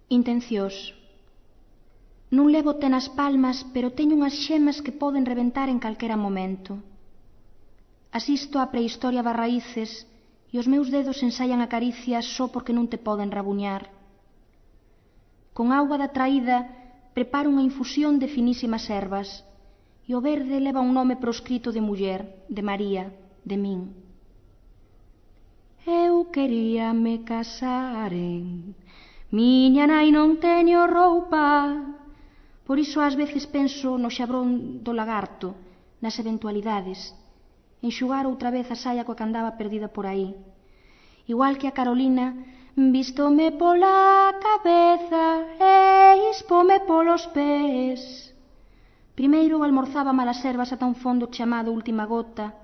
Intencións. Non levo té nas palmas, pero teño unhas xemas que poden reventar en calquera momento. Asisto á prehistoria das raíces e os meus dedos ensaian a caricia só porque non te poden rabuñar. Con auga da traída preparo unha infusión de finísimas ervas e o verde leva un nome proscrito de muller, de María, de min. Eu quería me casar miña nai non teño roupa, por iso ás veces penso no xabrón do lagarto, nas eventualidades, enxugar outra vez a saia coa que andaba perdida por aí. Igual que a Carolina, vístome pola cabeza e ispome polos pés. Primeiro almorzaba malas ervas ata un fondo chamado última gota,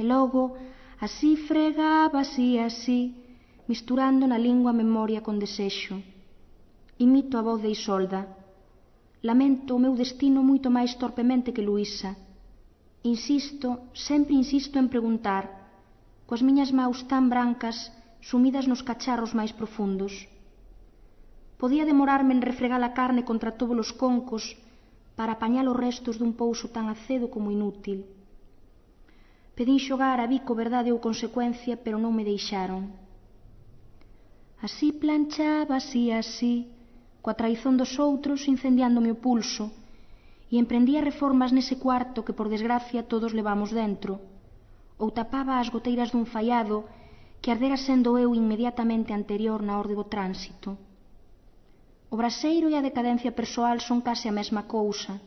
e logo así fregaba así, misturando na lingua memoria con desexo. Imito a voz de Isolda. Lamento o meu destino moito máis torpemente que Luísa. Insisto, sempre insisto en preguntar, coas miñas maus tan brancas sumidas nos cacharros máis profundos. Podía demorarme en refregar a carne contra todos os concos para apañar os restos dun pouso tan acedo como inútil. Pedín xogar a bico verdade ou consecuencia, pero non me deixaron. Así planchaba, así, coa traizón dos outros incendiándome o pulso, e emprendía reformas nese cuarto que, por desgracia, todos levamos dentro, ou tapaba as goteiras dun faiado que ardera sendo eu inmediatamente anterior na orde do tránsito. O braseiro e a decadencia persoal son case a mesma cousa.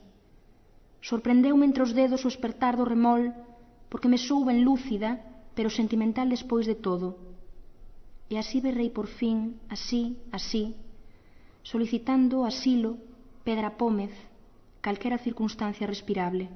Sorprendeume entre os dedos o espertar do remol, porque me souben lúcida, pero sentimental despois de todo. E así berrei por fin, así, solicitando asilo, Pedra Pómez, calquera circunstancia respirable.